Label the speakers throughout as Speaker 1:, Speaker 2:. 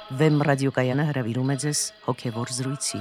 Speaker 1: Վեմ ռադիոկայանը հրավիրում է ձեզ հոգևոր զրույցի։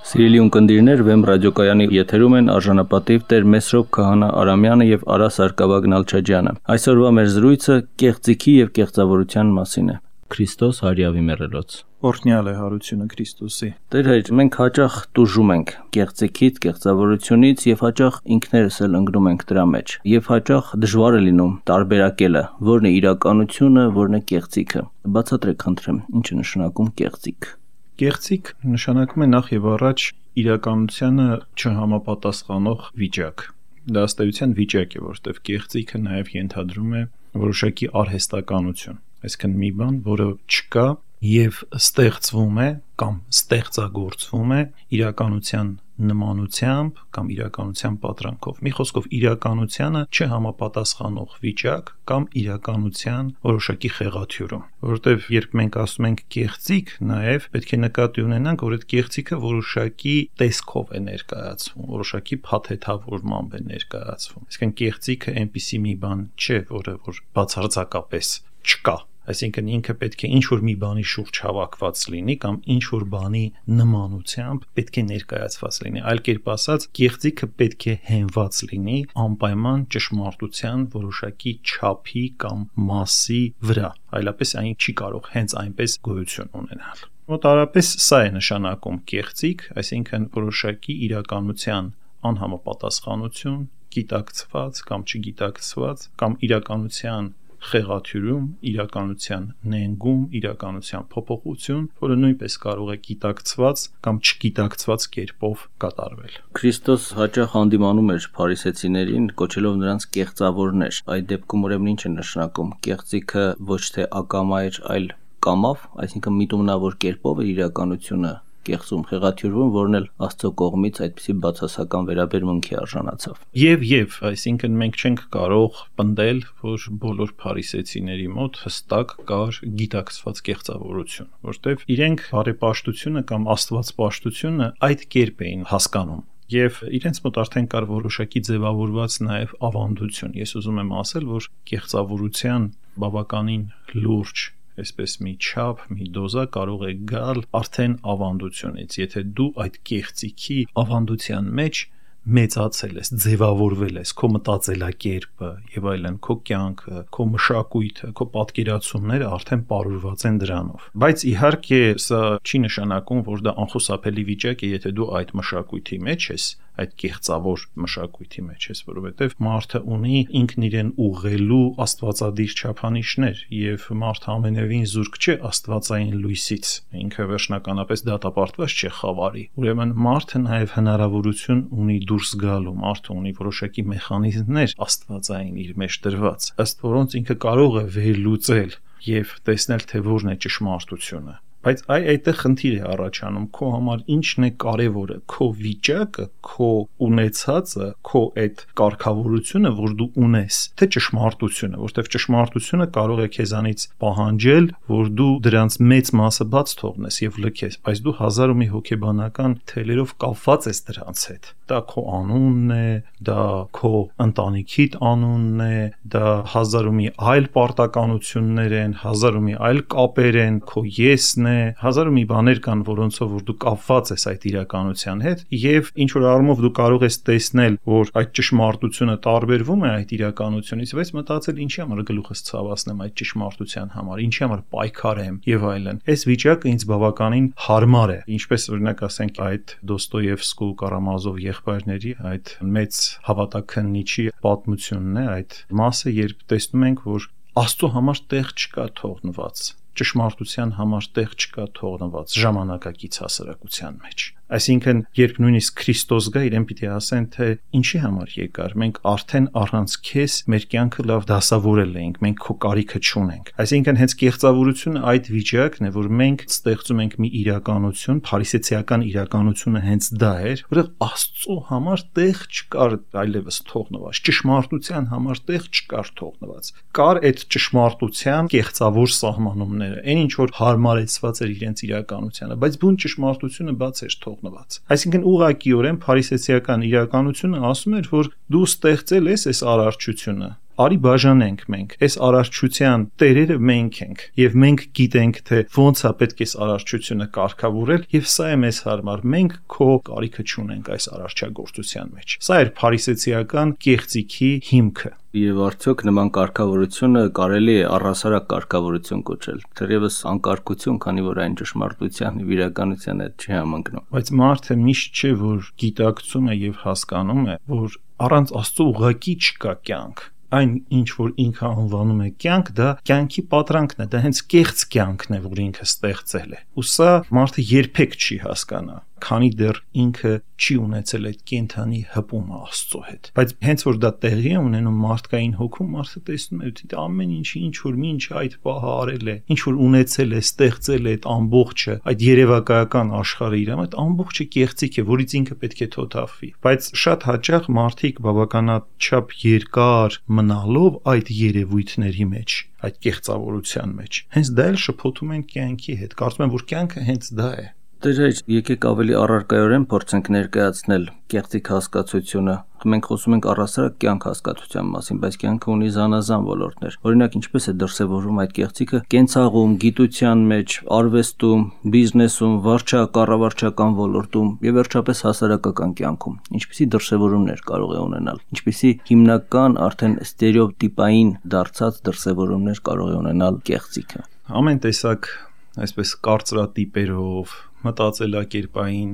Speaker 2: Սիրելի ունկնդիրներ, Վեմ ռադիոկայանի եթերում են արժանապատիվ Տեր Մեսրոպ Քահանա Արամյանը եւ Արա Սարգսակյան Նալչաջյանը։ Այսօրվա մեր զրույցը կեղծիքի եւ կեղծավորության մասին է։ Քրիստոս հարյավի մեռելոց։
Speaker 3: Օրհնյալ է հարությունը Քրիստոսի։
Speaker 2: Տեր հայր, մենք հաճախ տուժում ենք կեղծիքից, կեղծավորությունից եւ հաճախ ինքներս էլ ընկնում ենք դրա մեջ։ Եվ հաճախ դժվար է լինում տարբերակելը, որն է իրականությունը, որն է կեղծիքը։ Բացատրեք խնդրեմ, ինչ է նշանակում կեղծիք։
Speaker 3: Կեղծիք նշանակում է նախ եւ առաջ իրականությանը չհամապատասխանող վիճակ։ Դա ըստեյության վիճակ է, որովհետեւ կեղծիքը նաեւ ենթադրում է որոշակի արհեստականություն։ Այսինքն մի բան, որը չկա եւ ստեղծվում է կամ ստեղծագործվում է իրականության նմանությամբ կամ իրականության պատրանքով։ Մի խոսքով իրականությանը չհամապատասխանող վիճակ կամ իրականության որոշակի խեղաթյուրում։ Որովհետեւ երբ մենք ասում ենք կեղծիք, նաեւ պետք է նկատի ունենանք, որ այդ կեղծիքը որոշակի տեսքով է ներկայացվում, որոշակի փաթեթավորմամբ է ներկայացվում։ Այսինքն կեղծիքը այնպիսի մի բան չէ, որը բացարձակապես չկա։ Այսինքն ինքը պետք է ինչ-որ մի բանի շուրջ հավաքված լինի կամ ինչ-որ բանի նմանությամբ պետք է ներկայացված լինի։ Այլ կերպ ասած, կեղծիքը պետք է հենված լինի անպայման ճշմարտության որոշակի չափի կամ մասի վրա։ Այլապես այն չի կարող հենց այնպես գոյություն ունենալ։ Մոտավորապես սա է նշանակում կեղծիք, այսինքն որոշակի իրականության անհամապատասխանություն, գիտակցված կամ չգիտակցված կամ իրականության խեղաթյուրում, իրականության նենգում, իրականության փոփոխություն, որը նույնպես կարող է գիտակցված կամ չգիտակցված կերպով կատարվել։
Speaker 2: Քրիստոս հաճախ հանդիմանում էր փարիսեցիներին, կոչելով նրանց կեղծավորներ։ Այդ դեպքում ուրեմն ինչ է նշանակում։ Կեղծիքը ոչ թե ակամա էր, այլ կամավ, այսինքն միտումնավոր կերպով էր իրականությունը կեղծում, խեղաթյուրվում, որն էլ Աստծո կողմից այդպիսի բացասական վերաբերմունքի արժանացավ։
Speaker 3: Եվ, այսինքն մենք չենք կարող պնդել, որ բոլոր փարիսեցիների մոտ հստակ կար գիտակցված կեղծավորություն, որտեղ իրենք բարեպաշտությունը կամ աստվածպաշտությունը այդ կերպ էին հասկանում։ Եվ իրենց մոտ արդեն կար որոշակի ձևավորված նաև ավանդություն։ Ես ուզում եմ ասել, որ կեղծավորության բավականին լուրջ այսպես մի չափ, մի դոզա կարող է գալ արդեն ավանդությունից, եթե դու այդ կեղծիքի ավանդության մեջ մեծացել ես, ձևավորվել ես, քո մտածելակերպը եւ այլն, քո կյանքը, քո մշակույթը, քո պատկերացումները արդեն պարուրված են դրանով։ Բայց իհարկե սա չի նշանակում, որ դա անխուսափելի վիճակ է, եթե դու այդ մշակույթի մեջ ես, այդ կեղծավոր մշակույթի մեջ ես, որովհետև մարդը ունի ինքն իրեն ուղղելու աստվածադիր չափանիշներ եւ մարդը ամենևին զուրկ չէ աստվածային լույսից, ինքը վերջնականապես դատապարտված չէ խավարի։ Ուրեմն մարդը նաեւ հնարավորություն ունի դուրս գալու, մարդը ունի որոշակի մեխանիզմներ աստվածային իր մեջ դրված, ըստ որոնց ինքը կարող է վերլուծել եւ տեսնել, թե որն է ճշմարտությունը։ Բայց այդտեղ խնդիր է առաջանում, քո համար ինչն է կարևորը, քո վիճակը, քո ունեցածը, քո այդ կարգավորությունը, որ դու ունես, թե ճշմարտությունը, որտեղ ճշմարտությունը կարող է քեզանից պահանջել, որ դու դրանց մեծ մասը բաց թողնես եւ լքես, բայց դու հազար ու մի հոգեբանական թելերով կապված ես դրանց հետ։ Դա քո անունն է, դա քո ընտանիքիդ անունն է, դա հազար ու մի այլ պարտականություններ են, հազար ու մի այլ կապեր են, քո եսն է, հազար ու մի բաներ կան, որոնցով որ դու կապված ես այդ իրականության հետ եւ ինչ որ առումով դու կարող ես տեսնել, որ այդ ճշմարտությունը տարբերվում է այդ իրականությունից, բայց մտածել ինչի համար գլուխս ցավացնեմ այդ ճշմարտության համար, ինչի համար պայքարեմ եւ այլն։ Այս վիճակը ինձ բավականին հարմար է, ինչպես օրինակ ասենք այդ Դոստոևսկու Կարամազով եղբայրների այդ մեծ հավատաքննիչի պատմությունն է, այդ մասը, երբ տեսնում ենք, որ Աստծո համար տեղ չկա թողնված, ճշմարտության համար տեղ չկա թողնված ժամանակակից հասարակության մեջ։ Այսինքն, երբ նույնիսկ Քրիստոս գա, իրեն պիտի ասեն, թե ինչի համար եկար, մենք արդեն առանց քեզ մեր կյանքը լավ դասավորել էինք, մենք քո կարիքը չունենք։ Այսինքն, հենց կեղծավորությունը այդ վիճակն է, որ մենք ստեղծում ենք մի իրականություն, փարիսեցիական իրականությունը հենց դա էր, որը Աստծո համար տեղ չկար այլևս թողնված, ճշմարտության համար տեղ չկար թողնված։ Կար այդ ճշմարտության կեղծավոր սահմանումները, այն ինչ որ հարմարեցված էր իրենց իրականությանը, բայց բուն ճշմարտությունը բաց էր թողնված։ Այսինքն ուղղակիորեն փարիսեցիական իրականությունը ասում էր, որ դու ստեղծել ես այս արարչությունը, արի բաժանենք մենք։ Այս արարչության տերերը մենք ենք եւ մենք գիտենք թե ոնց է պետք է արարչությունը կարգավորել եւ սա է մեզ հարմար։ Մենք քո կարիքը չունենք այս արարչագործության մեջ։ Սա էր փարիսեցիական կեղծիքի հիմքը։
Speaker 2: Եվ արդյոք նման կարգավորությունը կարելի է առհասարակ կարգավորություն կոչել, թերևս անկարգություն, քանի որ այն ճշմարտության եւ իրականության հետ չի համընկնում։
Speaker 3: Բայց մարդը միշտ չէ, որ գիտակցում է եւ հասկանում է, որ առանց Աստծո ուղղակի չկա կյանք։ Այն ինչ որ ինքը անվանում է կյանք, դա կյանքի պատրանքն է, դա հենց կեղծ կյանքն է, որ ինքը ստեղծել է։ Ու սա մարդը երբեք չի հասկանա, քանի դեռ ինքը չի ունեցել այդ կենթանի հպումը Աստծո հետ։ Բայց հենց որ դա տեղի է ունենում մարդկային հոգում, մարդը տեսնում է, թե ամեն ինչի ինչ որ ինչ այդ պահը արել է, ինչ որ ունեցել է, ստեղծել է այդ ամբողջը, այդ երևակայական աշխարհը իր այդ ամբողջը կեղծիք է, որից ինքը պետք է թոթափվի։ Բայց շատ հաճախ մարդիկ բավականաչափ երկար մնալով այդ երևույթների մեջ, այդ կեղծավորության մեջ, հենց դա էլ շփոթում են կյանքի հետ։ Կարծում եմ, որ կյանքը հենց դա է։
Speaker 2: Դեր եկեք ավելի առարկայորեն փորձենք ներկայացնել կեղծիք հասկացությունը։ Մենք խոսում ենք առհասարակ կյանք հասկացության մասին, բայց կյանքը ունի զանազան ոլորտներ։ Օրինակ, ինչպես է դրսևորվում այդ կեղծիքը կենցաղում, գիտության մեջ, արվեստում, բիզնեսում, վարչակառավարչական ոլորտում եւ վերջապես հասարակական կյանքում։ Ինչպիսի դրսևորումներ կարող է ունենալ։ Ինչպիսի հիմնական արդեն ստերեոտիպային դարձած դրսևորումներ կարող է ունենալ կեղծիքը։
Speaker 3: Ամեն տեսակ այսպես կարծրատիպերով, մտածելակերպային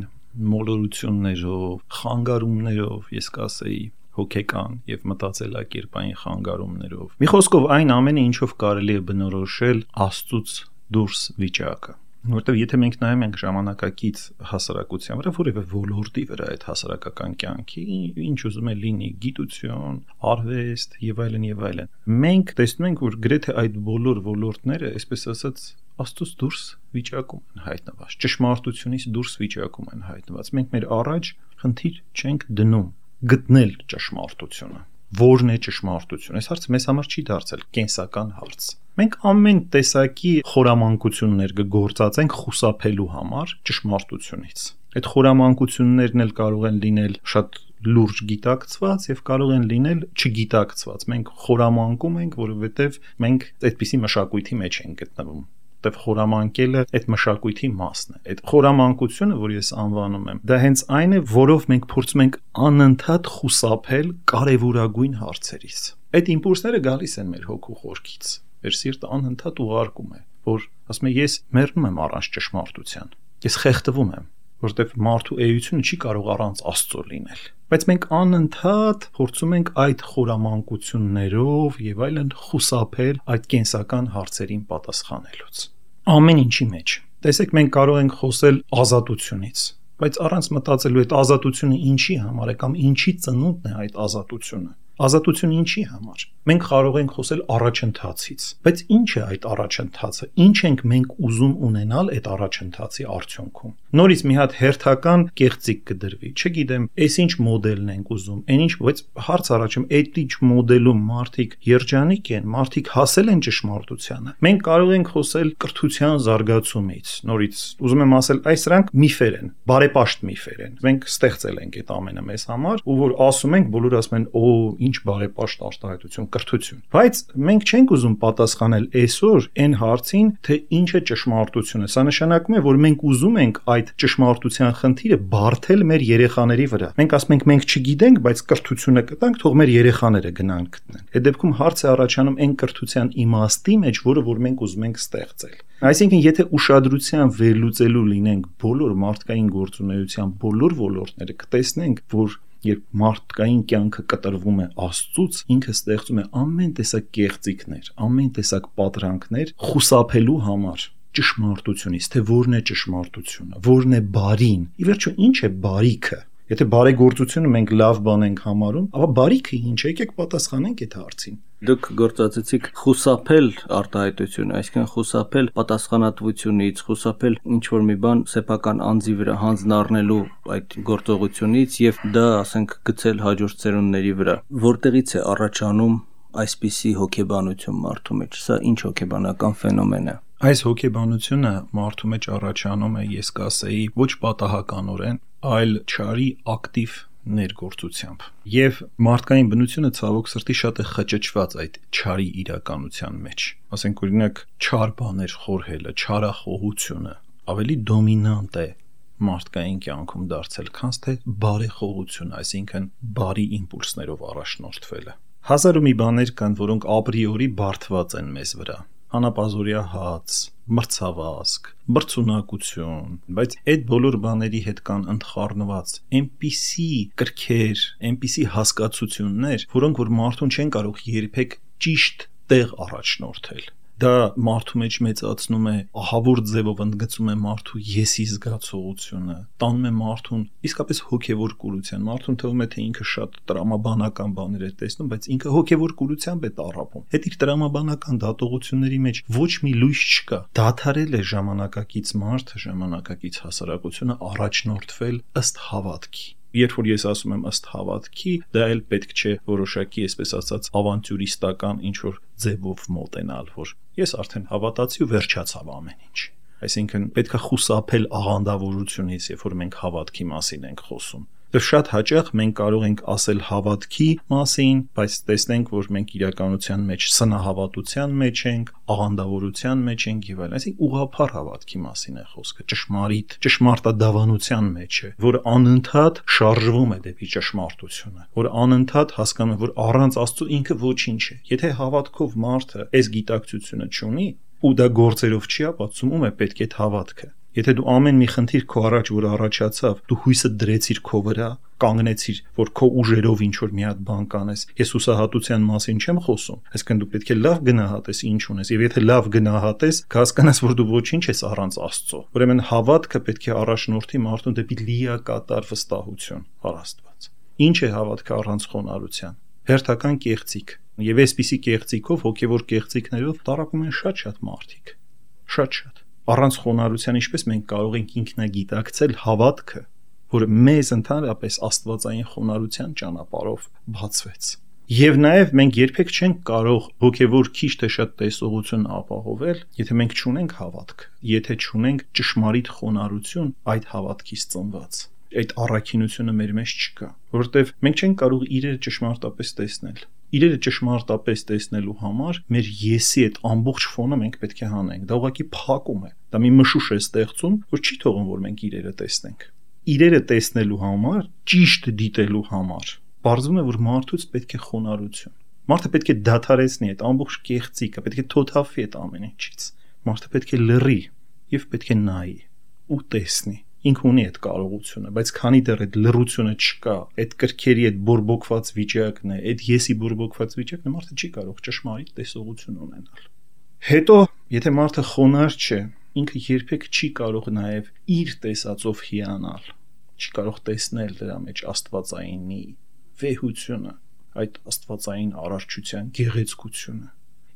Speaker 3: մոլորություններով, խանգարումներով, ես կասեի, հոգեկան եւ մտածելակերպային խանգարումներով։ Մի խոսքով այն ամենը, ինչով կարելի է բնորոշել Աստծուց դուրս վիճակը։ Որտեւ եթե մենք նայում ենք ժամանակակից հասարակության վրա, որևէ ոլորտի վրա այդ հասարակական կյանքի, ինչ ուզում է լինի, գիտություն, արվեստ եւ այլն, մենք տեսնում ենք, որ գրեթե այդ բոլոր ոլորտները, այսպես ասած, Աստծուց դուրս վիճակում են հայտնված, ճշմարտությունից դուրս վիճակում են հայտնված։ Մենք մեր առաջ խնդիր չենք դնում գտնել ճշմարտությունը։ Որն է ճշմարտությունը։ Այս հարցը մեզ համար չի դարձել կենսական հարց։ Մենք ամեն տեսակի խորամանկություններ կգործածենք խուսափելու համար ճշմարտությունից։ Այդ խորամանկություններն էլ կարող են լինել շատ լուրջ գիտակցված եւ կարող են լինել չգիտակցված։ Մենք խորամանկում ենք, որովհետեւ մենք այդպիսի մշակույթի մեջ ենք գտնվում։ Որտեւ խորամանկելը այդ մշակույթի մասն է։ Այդ խորամանկությունը, որ ես անվանում եմ, դա հենց այն է, որով մենք փորձում ենք անընդհատ խուսափել կարևորագույն հարցերից։ Այդ իմպուլսները գալիս են մեր հոգու խորքից։ Մեր սիրտը անընդհատ ուղարկում է, որ ասում է ես մեռնում եմ առանց ճշմարտության։ Ես խեղդվում եմ, որտեվ մարդու էությունը չի կարող առանց Աստծո լինել։ Բայց մենք անընդհատ փորձում ենք այդ խորամանկություններով եւ այլն խուսափել այդ կենսական հարցերին պատասխանելուց։ Ամեն ինչի մեջ։ Տեսեք, մենք կարող ենք խոսել ազատությունից, բայց առանց մտածելու այդ ազատությունը ինչի համար է կամ ինչի ծնունդն է այդ ազատությունը։ Ազատությունը ինչի համար։ Մենք կարող ենք խոսել առաջընթացից, բայց ինչ է այդ առաջընթացը։ Ինչ ենք մենք ուզում ունենալ այդ առաջընթացի արդյունքում։ Նորից մի հատ հերթական կեղծիք կդրվի։ Չգիտեմ, այս ինչ մոդելն ենք ուզում, այն ինչ, բայց հարց առաջում, այդ ինչ մոդելում մարդիկ երջանիկ են, մարդիկ հասել են ճշմարտությանը։ Մենք կարող ենք խոսել կրթության զարգացումից։ Նորից ուզում եմ ասել, այս սրանք միֆեր են, բարեպաշտ միֆեր են։ Մենք ստեղծել ենք այդ ամենը մեզ համար, ու որ ասում ենք, բոլորը ասում են, օ, ինչ բարեպաշտ արտահայտություն, կրթություն։ Բայց մենք չենք ուզում պատասխանել այսօր այն հարցին, թե ինչ է ճշմարտությունը։ Սա նշանակում է, որ մենք ուզում ենք այդ ճշմարտության խնդիրը բարթել մեր երեխաների վրա։ Մենք ասում ենք, մենք չգիտենք, բայց կրթությունը կտանք, թող մեր երեխաները գնան գտնեն։ Այդ դեպքում հարց է առաջանում այն կրթության իմաստի մեջ, որը որ մենք ուզում ենք ստեղծել։ Այսինքն, եթե ուշադրության վերլուծելու լինենք բոլոր մարդկային գործունեության բոլոր ոլորտները, կտեսնենք, որ երբ մարդկային կյանքը կտրվում է Աստծուց, ինքը ստեղծում է ամեն տեսակ կեղծիքներ, ամեն տեսակ պատրանքներ խուսափելու համար ճշմարտությունից, թե որն է ճշմարտությունը, որն է բարին։ Ի վերջո, ինչ է բարիքը։ Եթե բարեգործությունը մենք լավ բան ենք համարում, ապա բարիքը ինչ է, եկեք պատասխանենք այդ հարցին։
Speaker 2: Դուք գործածեցիք խուսափել արտահայտությունը, այսինքն խուսափել պատասխանատվությունից, խուսափել ինչ-որ մի բան սեփական անձի վրա հանձնառնելու այդ գործողությունից եւ դա, ասենք, գցել հաջորդ ծերունների վրա։ Որտեղից է առաջանում այսպիսի հոգեբանություն մարդու մեջ։ Սա ինչ հոգեբանական ֆենոմեն է։
Speaker 3: Այս հոգեբանությունը մարդու մեջ առաջանում է, ես կասեի, ոչ պատահականորեն, այլ չարի ակտիվ ներգործությամբ։ Եվ մարդկային բնությունը ցավոք սրտի շատ է խճճված այդ չարի իրականության մեջ։ Ասենք օրինակ չար բաներ խորհելը, չարախոհությունը ավելի դոմինանտ է մարդկային կյանքում դարձել, քան թե բարեխոհությունը, այսինքն բարի իմպուլսներով առաջնորդվելը։ Հազար ու մի բաներ կան, որոնք ապրիորի բարդված են մեզ վրա։ Անապազորյա հաց, մրցավազք, բրցունակություն, բայց այդ բոլոր բաների հետ կան ընդխառնված այնպիսի կրքեր, այնպիսի հասկացություններ, որոնք որ մարդուն չեն կարող երբեք ճիշտ տեղ առաջնորդել։ Դա մարդու մեջ մեծացնում է, ահավոր ձևով ընդգծում է մարդու եսի զգացողությունը, տանում է մարդուն իսկապես հոգևոր կուրության։ Մարդուն թվում է, թե ինքը շատ տրամաբանական բաներ է տեսնում, բայց ինքը հոգևոր կուրությամբ է տառապում։ Այդ իր տրամաբանական դատողությունների մեջ ոչ մի լույս չկա։ Դադարել է ժամանակակից մարդը, ժամանակակից հասարակությունը առաջնորդվել ըստ հավատքի։ Երբ որ ես ասում եմ ըստ հավատքի, դա էլ պետք չէ որոշակի, այսպես ասած, ավանտյուրիստական ինչ-որ ձևով մոտենալ, որ ես արդեն հավատացի ու վերջացավ ամեն ինչ։ Այսինքն պետք է խուսափել աղանդավորությունից, երբ որ մենք հավատքի մասին ենք խոսում։ Եվ շատ հաճախ մենք կարող ենք ասել հավատքի մասին, բայց տեսնենք, որ մենք իրականության մեջ սնահավատության մեջ ենք, աղանդավորության մեջ ենք եւ այլն։ Այսինքն ուղղափառ հավատքի մասին է խոսքը, ճշմարտադավանության մեջ է, որ անընդհատ շարժվում է դեպի ճշմարտությունը, որ անընդհատ հասկանում է, որ առանց Աստծո ինքը ոչինչ է։ Եթե հավատքով մարդը այս գիտակցությունը չունի, ու դա գործերով չի ապացուցում, ում է պետք է հավատքը։ Եթե դու ամեն մի խնդիր քո առաջ որ առաջացավ, դու հույսը դրեցիր քո վրա, կանգնեցիր, որ քո ուժերով ինչ որ մի հատ բան կանես։ Ես հուսահատության մասին չեմ խոսում, այսինքն դու պետք է լավ գնահատես ինչ ունես, եւ եթե լավ գնահատես, կհասկանաս, որ դու ոչինչ ես առանց Աստծո։ Ուրեմն հավատքը պետք է առաջնորդի մարդուն դեպի լիակատար վստահություն առ Աստված։ Ինչ է հավատքը առանց խոնարհության։ Հերթական կեղծիք։ Եվ այսպիսի կեղծիքով, հոգևոր կեղծիքներով տառապում են շատ մարդիկ։ Շատ։ Առանց խոնարհության ինչպես մենք կարող ենք ինքնագիտակցել հավատքը, որը մեզ ընդհանրապես աստվածային խոնարհության ճանապարհով բացվեց։ Եվ նաև մենք երբեք չենք կարող հոգևոր քիչ թե շատ տեսողություն ապահովել, եթե մենք չունենք հավատք, եթե չունենք ճշմարիտ խոնարհություն այդ հավատքից ծնված։ Այդ առաքինությունը մեր մեջ չկա, որովհետև մենք չենք կարող իրերը ճշմարտապես տեսնել։ Իրերը ճշմարտապես տեսնելու համար մեր եսի այդ ամբողջ ֆոնը մենք պետք է հանենք։ Դա ուղղակի փակում է։ Դա մի մշուշ է ստեղծում, որ չի թողում, որ մենք իրերը տեսնենք։ Իրերը տեսնելու համար, ճիշտ դիտելու համար, բարձվում է, որ մարդուց պետք է խոնարհություն։ Մարդը պետք է դադարեցնի այդ ամբողջ կեղծիկը, պետք է թոթափի այդ ամեն ինչից։ Մարդը պետք է լռի եւ պետք է նայի ու տեսնի։ Ինքը ունի այդ կարողությունը, բայց քանի դեռ այդ լռությունը չկա, այդ կրքերի այդ բորբոքված վիճակն է, այդ եսի բորբոքված վիճակն է, մարդը չի կարող ճշմարիտ տեսողություն ունենալ։ Հետո, եթե մարդը խոնարհ չէ, ինքը երբեք չի կարող նաև իր տեսածով հիանալ, չի կարող տեսնել դրա մեջ աստվածայինի վեհությունը, այդ աստվածային արարչության գեղեցկությունը։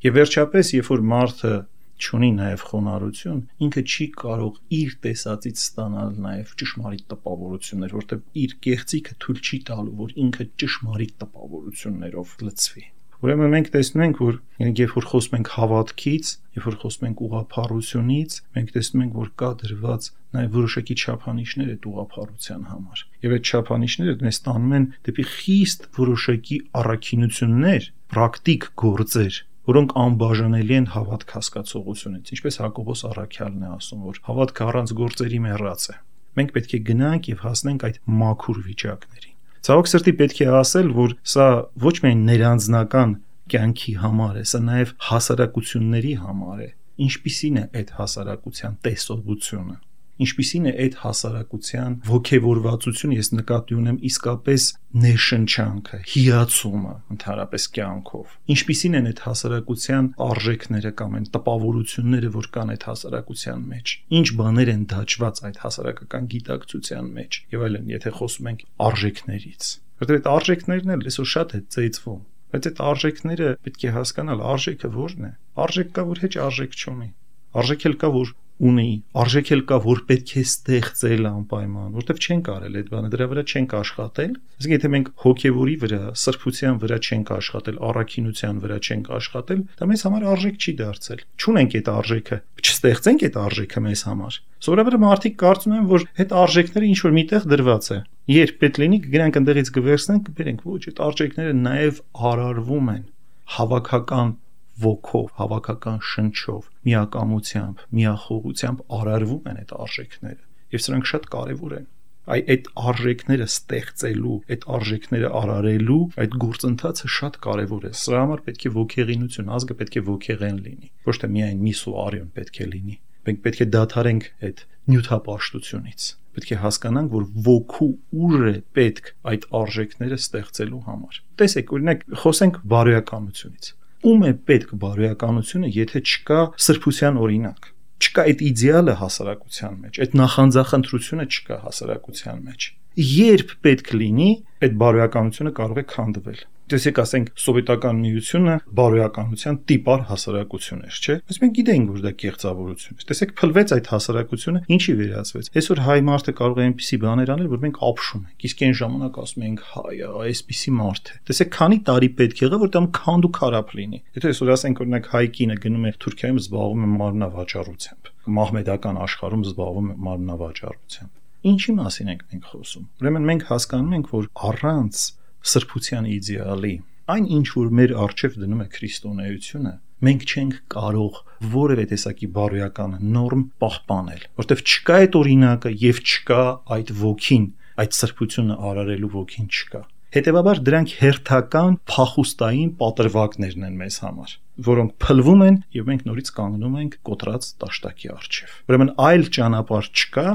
Speaker 3: Եվ վերջապես, երբ որ մարդը չունի նաև խոնարհություն, ինքը չի կարող իր տեսածից ստանալ նաև ճշմարիտ տպավորություններ, որտեղ իր կեղծիքը թույլ չի տալու, որ ինքը ճշմարիտ տպավորություններով լցվի։ Ուրեմն մենք տեսնում ենք, որ երբ որ խոսում ենք հավատքից, երբ որ խոսում ենք ուղղափառությունից, մենք տեսնում ենք, որ կա դրված նաև որոշակի չափանիշներ այդ ուղղափառության համար։ Եվ այդ չափանիշները մեզ տանում են դեպի խիստ որոշակի առաքինություններ, պրակտիկ գործեր, որոնք անբաժանելի են հավատք հասկացողությունից, ինչպես Հակոբոս առաքյալն է ասում, որ հավատքը առանց գործերի մեռած է։ Մենք պետք է գնանք եւ հասնենք այդ մաքուր վիճակներին։ Ցավոք սրտի պետք է ասել, որ սա ոչ միայն ներանձնական կյանքի համար է, սա նաեւ հասարակությունների համար է։ Ինչպիսին է այդ հասարակության տեսողությունը։ Ինչպիսին է այդ հասարակության ոգևորվածությունը, ես նկատի ունեմ իսկապես ներշնչանքը, հիացումը ընդհանրապես կյանքով։ Ինչպիսին են այդ հասարակության արժեքները կամ այն տպավորությունները, որ կան այդ հասարակության մեջ։ Ինչ բաներ են դաջված այդ հասարակական գիտակցության մեջ։ Եվ այլն, եթե խոսում ենք արժեքներից։ Որտեղ այդ արժեքներն էլ այսօր շատ է ծեծվում, բայց այդ արժեքները պետք է հասկանալ, արժեքը ո՞րն է։ Արժեք կա, որ հեչ արժեք չունի։ Արժեք էլ կա, որ ունի, արժեք էլ կա, որ պետք է ստեղծել անպայման, որտեվ չեն կարել այդ բանը, դրա վրա չենք աշխատել։ Իսկ եթե մենք հոգևորի վրա, սրբության վրա չենք աշխատել, առաքինության վրա չենք աշխատել, դա մեզ համար արժեք չի դարձել։ Չունենք այդ արժեքը, չստեղծենք այդ արժեքը մեզ համար։ Սովորաբար մարդիկ կարծում են, որ այդ արժեքները ինչ որ միտեղ դրված է։ Երբ պետք լինի, կգրանք ընդեղից կվերցնենք, կբերենք, ոչ, այդ արժեքները նաև արարվում են հավաքական ոգով, հավաքական շնչով, միակամությամբ, միախոհությամբ արարվում են այդ արժեքները, եւ սրանք շատ կարեւոր են։ Այդ արժեքները ստեղծելու, այդ արժեքները արարելու, այդ գործընթացը շատ կարեւոր է։ Սրա համար պետք է ոգեղինություն, ազգը պետք է ոգեղեն լինի, ոչ թե միայն միս ու արյուն պետք է լինի։ Մենք պետք է դադարենք այդ նյութապաշտությունից։ Պետք է հասկանանք, որ ոգու ուժ է պետք այդ արժեքները ստեղծելու համար։ Տեսեք, օրինակ, խոսենք բարոյականությունից։ Ում է պետք բարոյականությունը, եթե չկա սրբության օրինակ, չկա այդ իդեալը հասարակության մեջ, այդ նախանձախնդրությունը չկա հասարակության մեջ։ Երբ պետք լինի, այդ բարոյականությունը կարող է քանդվել։ Տեսեք, ասենք, սովետական միությունը բարոյականության տիպար հասարակություն էր, չէ՞։ Բայց մենք գիտենք, որ դա կեղծավորություն է։ Տեսեք, փլվեց այդ հասարակությունը, ինչի վերածվեց։ Այսօր հայ մարդը կարող է այնպիսի բաներ անել, որ մենք ապշում ենք։ Իսկ այն ժամանակ ասում ենք, հայը այսպիսի մարդ է։ Տեսեք, քանի տարի պետք եղավ, որ դա քանդ ու քարափ լինի։ Եթե այսօր ասենք, օրինակ, հայ կինը գնում է Թուրքիայում, զբաղվում է մարմնավաճառությամբ, մահմեդական աշխարհում զբաղվում է մարմնավաճառությամբ։ Ինչի մասին ենք մենք խոսում։ Ուրեմն մենք հասկանում ենք, որ առանց սրբության իդեալի, այն ինչ որ մեր առջև դնում է քրիստոնեությունը, մենք չենք կարող որևէ տեսակի բարոյական նորմ պահպանել, որտեղ չկա այդ օրինակը եւ չկա այդ ոգին, այդ սրբությունը արարելու ոգին չկա։ Հետևաբար դրանք հերթական փախուստային պատրվակներն են մեզ համար, որոնք փլվում են եւ մենք նորից կանգնում ենք կոտրած տաշտակի առջև։ Ուրեմն այլ ճանապարհ չկա,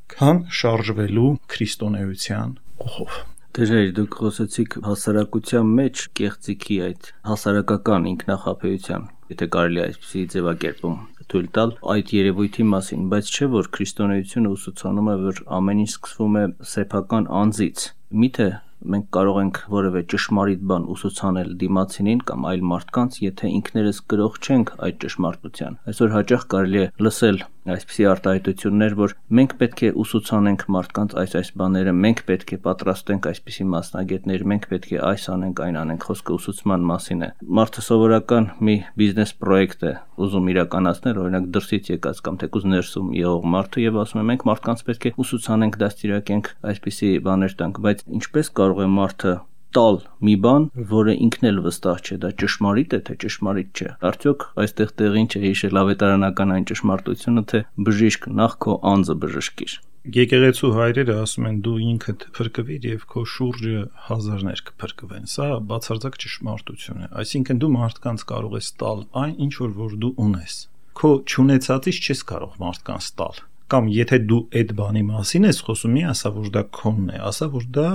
Speaker 3: քան շարժվելու քրիստոնեության ուղով։
Speaker 2: Դժվար դուք խոսեցիք հասարակության մեջ կեղծիքի այդ հասարակական ինքնախապեյության, եթե կարելի է այսպիսի ձևակերպում թույլ տալ այդ երևույթի մասին, բայց չէ որ քրիստոնեությունը ուսուցանում է, որ ամեն ինչ սկսվում է սեփական անձից։ Միթե մենք կարող ենք որևէ ճշմարիտ բան ուսուցանել դիմացինին կամ այլ մարդկանց, եթե ինքներս գրող չենք այդ ճշմարտության։ Այսօր հաճախ կարելի է լսել այսպիսի արտահայտություններ, որ մենք պետք է ուսուցանենք մարդկանց այս բաները, մենք պետք է պատրաստենք այսպիսի մասնագետներ, մենք պետք է այս անենք, այն անենք, խոսքը ուսուցման մասին է։ Մարդը սովորական մի բիզնես պրոյեկտ է ուզում իրականացնել, օրինակ դրսից եկած կամ թեկուզ ներսում եղող մարդը եւ ասում է մենք մարդկանց պետք է ուսուցանենք, դաստիարակենք, այսպիսի բաներ տանք, բայց ինչպես կարող է մարդը տալ մի բան, որը ինքն էլ վստահ չէ, դա ճշմարիտ է, թե ճշմարիտ չէ։ Արդյոք այստեղ տեղին չէ հիշել ավետարանական այն ճշմարտությունը, թե բժիշկ նախ քո անձը բժշկիր։
Speaker 3: Եկեղեցու հայրերը ասում են դու ինքդ փրկվիր եւ քո շուրջը հազարներ կփրկվեն։ Սա բացարձակ ճշմարտություն է։ Այսինքն դու մարդկանց կարող ես տալ այն, ինչ որ դու ունես։ Քո չունեցածից չես կարող մարդկանց տալ։ Կամ եթե դու այդ բանի մասին ես խոսում, մի ասա որ դա քոնն է, ասա որ դա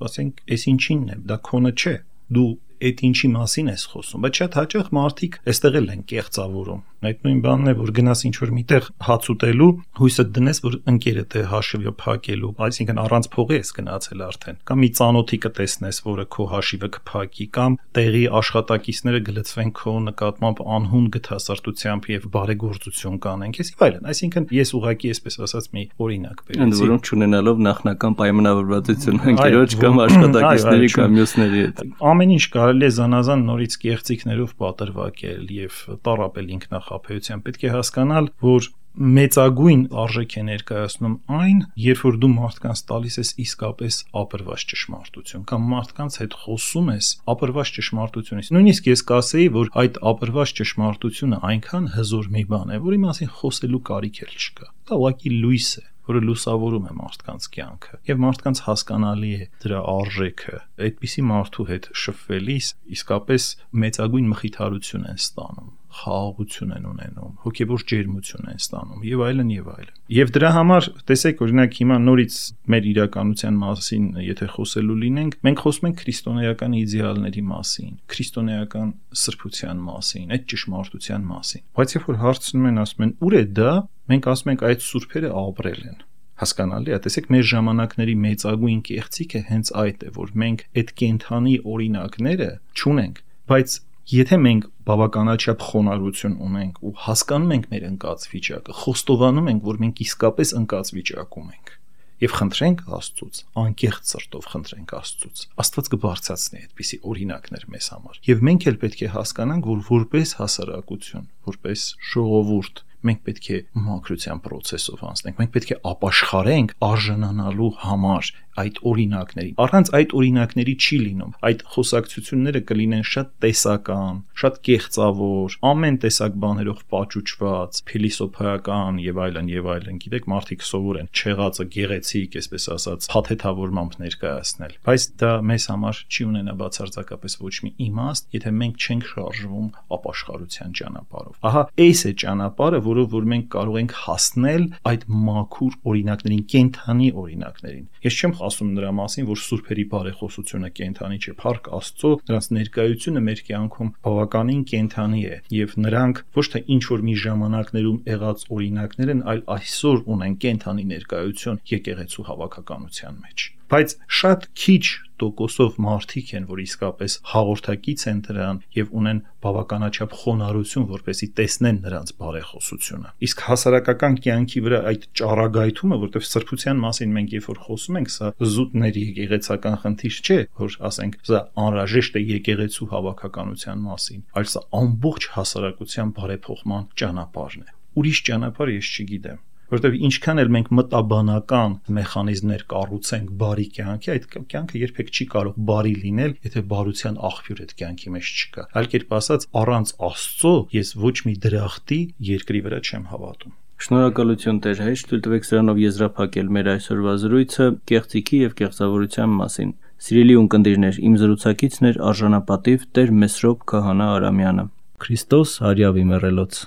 Speaker 3: ասենք, այս ինչինն է, դա քոնը չէ, դու այդ ինչի մասին ես խոսում, բայց շատ հաճախ մարդիկ այստեղ էլ են կեղծավորում։ Այդ նույն բանն է, որ գնաս ինչ-որ միտեղ հաց ուտելու, հույսը դնես, որ ընկերդ է հաշիվը փակելու, այսինքն առանց փողի ես գնացել արդեն, կամ մի ծանոթի կտեսնես, որը քո հաշիվը կփակի, կամ տեղի աշխատակիցները գլծվեն քո նկատմամբ անհուն գթասարտությամբ եւ բարեգործություն կանեն, եւ այլն։ Այսինքն ես ուղղակի այսպես ասած մի օրինակ բերեցի։
Speaker 2: Ընդ որում չունենալով նախնական պայմանավորվածություն ընկերոջ կամ աշխատակիցների կամ մյուսների հետ։
Speaker 3: Ամեն ինչ կարելի է զանազան նորից կեղծիքներով պատրվակել եւ տառապել ինքնախապեյությամբ։ Պետք է հասկանալ, որ մեծագույն արժեք է ներկայացնում այն, երբ որ դու մարդկանց տալիս ես իսկապես ապրված ճշմարտություն կամ մարդկանց հետ խոսում ես ապրված ճշմարտությունից։ Նույնիսկ ես կասեի, որ այդ ապրված ճշմարտությունը այնքան հզոր մի բան է, որի մասին խոսելու կարիք էլ չկա։ Դա ուղղակի լույս է, որը լուսավորում է մարդկանց կյանքը եւ մարդկանց հասկանալի է դրա արժեքը։ Այդպիսի մարդու հետ շփվելիս իսկապես մեծագույն մխիթարություն են ստանում, խաղաղություն են ունենում, հոգեվոր ջերմություն են ստանում եւ այլն եւ այլն։ Եվ դրա համար տեսեք, օրինակ հիմա նորից մեր իրականության մասին եթե խոսելու լինենք, մենք խոսում ենք քրիստոնեական իդեալների մասին, քրիստոնեական սրբության մասին, այդ ճշմարտության մասին։ Բայց երբ որ հարցնում են, ասում են՝ «Ուր է դա», մենք ասում ենք՝ այդ սուրբերը ապրել են։ Հասկանալի է, տեսեք, մեր ժամանակների մեծագույն կեղծիքը հենց այդ է, որ մենք այդ կենթանի օրինակները չունենք, բայց Եթե մենք բավականաչափ խոնարհություն ունենք ու հասկանում ենք մեր ընկած վիճակը, խոստովանում ենք, որ մենք իսկապես ընկած վիճակում ենք եւ խնդրենք Աստծուց, անկեղծ սրտով խնդրենք Աստծուց, Աստված կբարձրացնի այդպիսի օրինակներ մեզ համար։ Եվ մենք էլ պետք է հասկանանք, որ որպես հասարակություն, որպես ժողովուրդ մենք պետք է մաքրության process-ով անցնենք, մենք պետք է ապաշխարենք արժանանալու համար այդ օրինակներին։ Առանց այդ օրինակների չի լինում։ Այդ խոսակցությունները կլինեն շատ տեսական, շատ կեղծավոր, ամեն տեսակ բաներով պաճուճված, փիլիսոփայական եւ այլն, գիտեք, մարդիկ սովոր են չեղածը գեղեցիկ, այսպես ասած, փաթեթավորմամբ ներկայացնել։ Բայց դա մեզ համար չի ունենա բացարձակապես ոչ մի իմաստ, եթե մենք չենք շարժվում ապաշխարության ճանապարհով։ Ահա այս է ճանապարհը, որով որ մենք կարող ենք հասնել այդ մաքուր օրինակներին, կենթանի օրինակներին։ Ես չեմ ասում նրա մասին, որ սուրբերի բարեխոսությունը կենթանի չէ, փառք Աստծո, նրանց ներկայությունը մեր կյանքում բավականին կենթանի է, եւ նրանք ոչ թե ինչ որ մի ժամանակներում եղած օրինակներ են, այլ այսօր ունեն կենթանի ներկայություն եկեղեցու հավաքականության մեջ։ Բայց շատ քիչ տոկոսով մարդիկ են, որ իսկապես հաղորդակից են դրան եւ ունեն բավականաչափ խոնարհություն, որպեսզի տեսնեն նրանց բարեխոսությունը։ Իսկ հասարակական կյանքի վրա այդ ճառագայթումը, որտեղ սրբության մասին մենք երբ որ խոսում ենք, սա զուտների եկեղեցական խնդիր չէ, որ ասենք սա անհրաժեշտ է եկեղեցու հավաքականության մասին, այլ սա ամբողջ հասարակության բարեփոխման ճանապարհն է։ Ուրիշ ճանապարհ ես չգիտեմ, որտեղ ինչքան էլ մենք մտաբանական մեխանիզմներ կառուցենք բարի կյանքի, այդ կյանքը երբեք չի կարող բարի լինել, եթե բարության աղբյուր այդ կյանքի մեջ չկա։ Այլ կերպ ասած, առանց Աստծո ես ոչ մի դրախտի երկրի վրա չեմ հավատում։
Speaker 2: Շնորհակալություն Տեր Հայր, թույլ տվեք սրանով եզրափակել մեր այսօրվա զրույցը կեղծիքի եւ կեղծավորության մասին։ Սիրելի ունկնդիրներ, իմ զրուցակիցն էր արժանապատիվ Տեր Մեսրոպ Քահանա Արամյանը։ Քրիստոս հարյավի մեռելոց։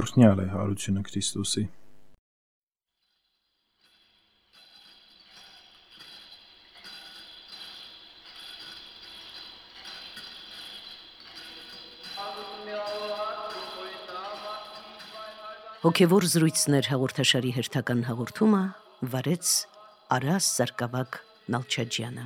Speaker 3: Օրհնյալ է հարությունը Քրիստոսի։
Speaker 1: Հոգևոր զրույցներ հաղորդաշարի հերթական հաղորդումը վարեց Արաս Սարգսակ Նալչաջյանը։